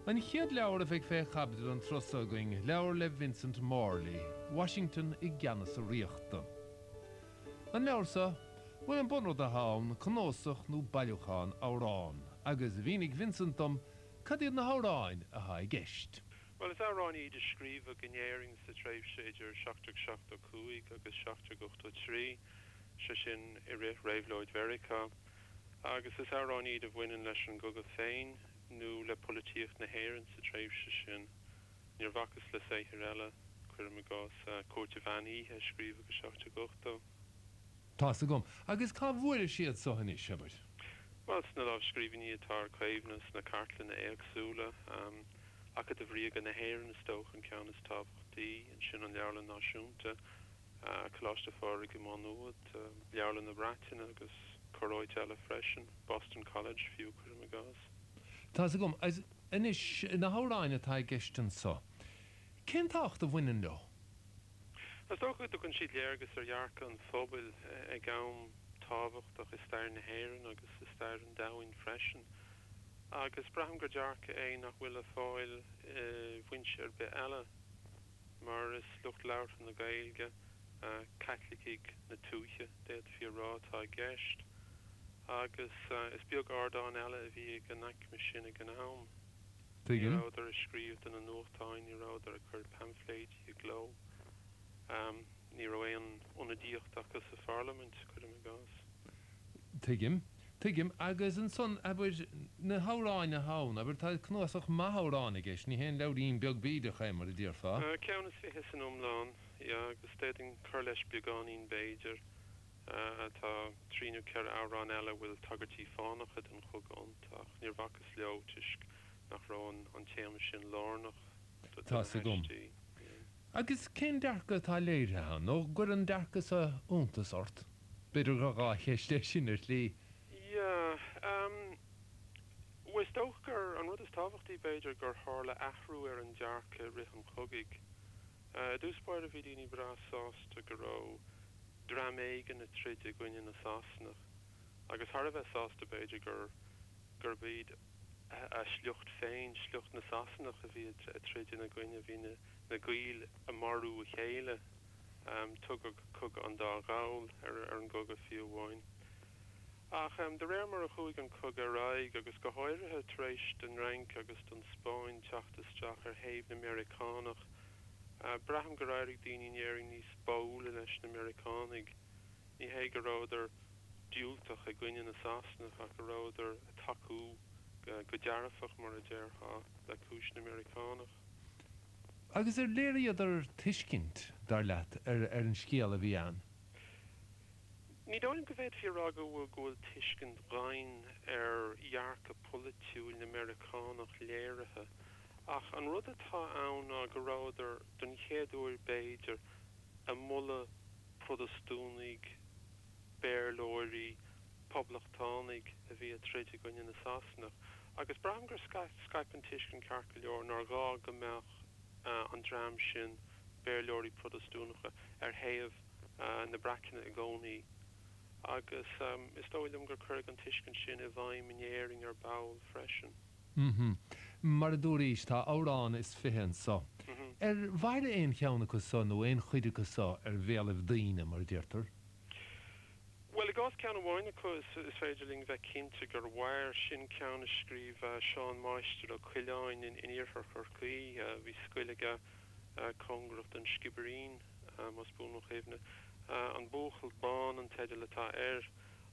An chéad leabhar a bheidh fé chaibidil an turas so againn, leabhar le Vincent Morley, Washington i gceannas a ríochta. An leabhar so, bhuel an bunrud atá ann, cnósach nó bailiúchán amhrán, agus mhínigh Vincent dom cad iad na hamhráin atá i gceist. Bhuel, is amhráin iad a scríobhadh in Éirinn sa tréimhse idir 1775 agus 1783, sé sin, i rith Réabhlóid Mheiriceá, agus is amhráin iad a bhaineann leis an gcogadh féin nó le polaitíocht na hÉireann sa tréimhse sin. Níor bhacas le saothair eile, cuirim i gcás, Cúirt an Mheán Oíche a scríobhadh i 1780. Tá's agam. Agus cá bhfuairis iad so anois, abair? Bhuel, sna lámhscríbhinní atá ar caomhnadh sna cartlanna éagsúla, Acadamh Ríoga na hÉireann is dócha an ceann is tábhachtaí, ansin an Leabharlann Náisiúnta, Coláiste Phádraig i Má Nuad, Leabharlann na Breataine agus corráit eile freisin, Boston College fiú, cuirim i gcás. Tá's agam. Anois, na hamhráin atá i gceist anso, cén tábhacht a bhaineann leo? Is dócha go dtugann siad léargas ar dhearcadh an phobail ag am tábhachtach i stair na hÉireann agus i stair an domhain freisin. Agus braithim gur dearcadh é nach bhfuil le fáil i bhfoinse ar bith eile, mar is lucht labhartha na Gaeilge, Caitlicigh na tuaithe, d'fhéadfaí a rá, atá i gceist. Agus is beag ardán eile a bhí ag an aicme sin ag an am. Ní Tuigim. rabhadar ag scríobh do na nuachtáin, ní rabhadar ag cur paimfléidí i gcló. Ní raibh aon ionadaíocht acu sa pharlaimint, cuirim i gcás. Tuigim. Tuigim. Agus ansan, abair, na hamhráin atá ann, abair, tá cnuasach maith amhrán i gceist, ní haon leabhairín beag bídeach é, mar a déarfá. Ceann is fiche san iomlán, yeah, agus d'fhéadfainn cur leis beagáinín b'fhéidir. Tá trí nó ceithre amhrán eile a bhfuil tagairtí fánacha don chogadh iontu, ach níor bhacas leo toisc nach raibh an téama sin lárnach do na Tá's agam. haistí. Agus cén dearcadh atá léirithe ann, nó an gcuireann an dearcadh so iontas ort? B'fhéidir gur dhá cheist é sin ar shlí. Yeah. Bhuel, is dócha gur, an rud is tábhachtaí b'fhéidir, gur tharla athrú ar an dearcadh i rith an chogaidh. I dtús báire bhí daoine breá sásta go raibh dream éigin ag troid i gcoinne na Sasanach, agus thar a bheith sásta b'fhéidir gur gurb iad a sliocht féin, sliocht na Sasanach a bhí ag troid ina gcoinne. Bhí na na Gaill ag marú a chéile. Tugadh Cogadh an Dá Ghall ar an gcogadh fiú amháin. Ach de réir mar a chuaigh an cogadh ar aghaidh, agus go háirithe tar éis don Fhrainc agus don Spáinn teacht isteach ar thaobh na Meiriceánach, braithim gur éirigh daoine in Éirinn níos báúla leis na Meiriceánaigh. Ní hé go rabhadar diúltach i gcoinne na Sasanach ach go rabhadar ag tacú go dearfach, mar a déarfá, le cúis na Meiriceánach. Agus ar léiríodar tuiscint, dar leat, ar an scéal a bhí ann? Ní dóigh liom go bhféadfaí a rá go bhfuil go bhfuil tuiscint dhoimhin ar dhearcadh polaitiúil na Meiriceánach léirithe, ach an rud atá ann ná go rabhadar, don chéad uair b'fhéidir, ag moladh Protastúnaigh, Béarlóirí, Poblachtánaigh a bhí ag troid i gcoinne na Sasanach. Agus braithim gur scaip an tuiscint ceart go leor nár ghá go mbeadh an dream sin, Béarlóirí Protastúnacha, ar thaobh na Breataine i gcónaí agus is dóigh liom gur cuireadh an tuiscint sin i bhfeidhm in Éirinn ar ball freisin. Mm-hm. Mar a dúraís, tá amhrán is fiche anso. Ar mhair aon cheann acu so nó aon chuid acu so ar bhéalaibh daoine, mar a deirtear? Bhuel, i gcás ceann amháin acu is féidir linn bheith cinnte gur mhair, sin ceann a scríobh Seán Máistir Ó Coileáin in iarthar Chorcaí. Bhí scoil aige cóngarach don Sciobairín, más buan mo chuimhne. An Buachaill Bán an teideal atá air,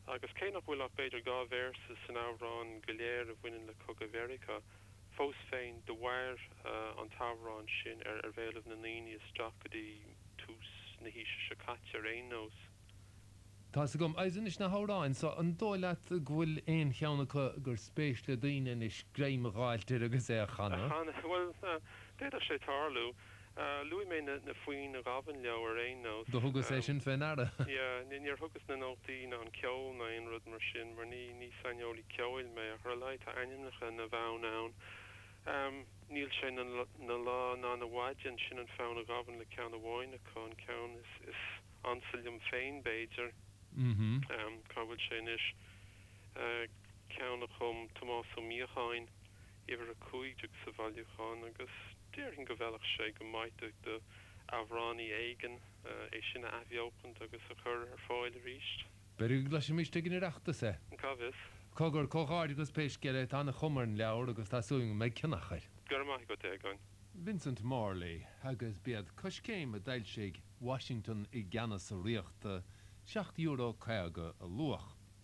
agus cé nach bhfuil ach b'fhéidir dhá véarsa san amhrán go léir a bhaineann le Cogadh Mheiriceá, fós féin do mhair an t-amhrán sin ar bhéalaibh na ndaoine isteach go dtí tús na haoise seo caite ar aon nós. Tá's agam. Agus anois na hamhráin so, an dóigh leat go bhfuil aon cheann acu gur spéis le daoine anois greim a dh'fháilt air agus é a chanadh? A chanadh? Bhuel, d'fhéadfadh sé tarlú. Luaigh mé na foinn a ghabhann leo ar aon nós. Do thugas é sin fé ndeara. Yeah, níor thugas na nótaí ná an ceol ná aon rud mar sin mar ní ní saineolaí ceoil mé ach ar a laghad tá ainmneacha na bhfonn ann. Níl sé 'na lá ná 'na mhaidin, sin an fonn a ghabhann le ceann amháin acu, an ceann is is ansa liom féin b'fhéidir. Cá bhfuil sé anois? Ceann a chum Tomás Ó Míocháin. uimhir 15 sa bhailiúchán agus déarfainn go bhfeilfeadh sé go maith do amhránaí éigin é sin a athbheochaint agus a chur ar fáil arís. B'fhéidir go gcloisfimis ag an Oireachtas é. Cá bhfios? Cogar, comhghairdeachas pé scéal é, tá ana chuma ar an leabhar agus tá súil agam go mbeidh ceannach air. Go raibh maith agat, a Aogáin. Vincent Morley, agus b'iad Coiscéim a d'fhoilsigh Washington i gCeannas a Ríochta, €7.50 a luach.